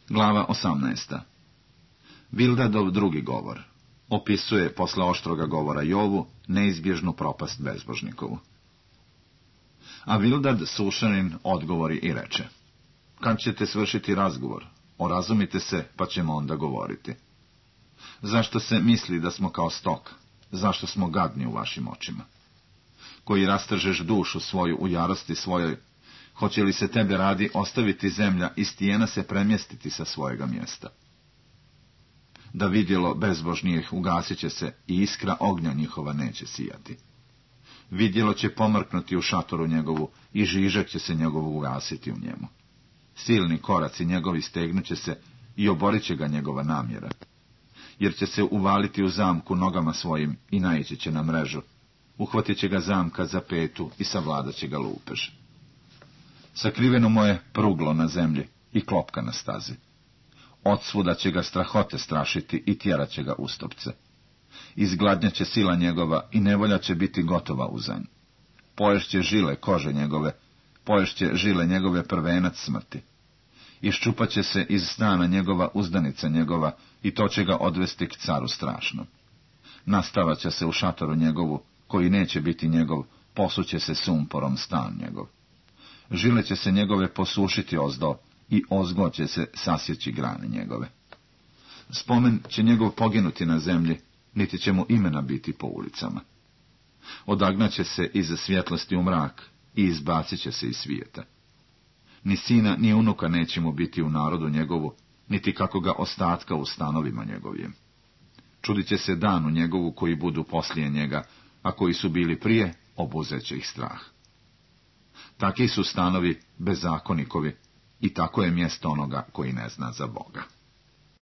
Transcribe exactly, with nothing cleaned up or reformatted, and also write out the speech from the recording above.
Glava osamnaesta. Bildadov drugi govor opisuje posle oštroga govora Jovu neizbježnu propast bezbožnikovu. A Bildad Sušanin odgovori i reče: kad ćete svršiti razgovor, orazumite se, pa ćemo onda govoriti. Zašto se misli da smo kao stok? Zašto smo gadni u vašim očima? Koji rastržeš dušu svoju u jarosti svojoj, hoće li se tebe radi ostaviti zemlja i stijena se premjestiti sa svojega mjesta? Da vidjelo bezbožnijih ugasit će se i iskra ognja njihova neće sijati. Vidjelo će pomrknuti u šatoru njegovu i žižak će se njegovu ugasiti u njemu. Silni koraci njegovi stegnuće se i oborit će ga njegova namjera, jer će se uvaliti u zamku nogama svojim i naići će na mrežu. Uhvatit će ga zamka za petu i savladat će ga lupež. Sakriveno mu je pruglo na zemlji i klopka na stazi. Odsvuda će ga strahote strašiti i tjerat će ga ustopce. Izgladnja će sila njegova i nevolja će biti gotova uzanj. Poješće žile kože njegove, poješće žile njegove prvenac smrti. Iščupat će se iz stana njegova uzdanica njegova i to će ga odvesti k caru strašnom. Nastavat će se u šatoru njegovu, koji neće biti njegov, posuće se sumporom stan njegov. Žile će se njegove posušiti ozdo i ozgo će se sasjeći grane njegove. Spomen će njegov poginuti na zemlji, niti će mu imena biti po ulicama. Odagnaće se iz svjetlosti u mrak i izbacit će se iz svijeta. Ni sina, ni unuka neće mu biti u narodu njegovu, niti kako ga ostatka u stanovima njegovim. Čudit će se danu njegovu koji budu poslije njega, a koji su bili prije, obuzeće ih strah. Taki su stanovi bezakonikovi i tako je mjesto onoga koji ne zna za Boga.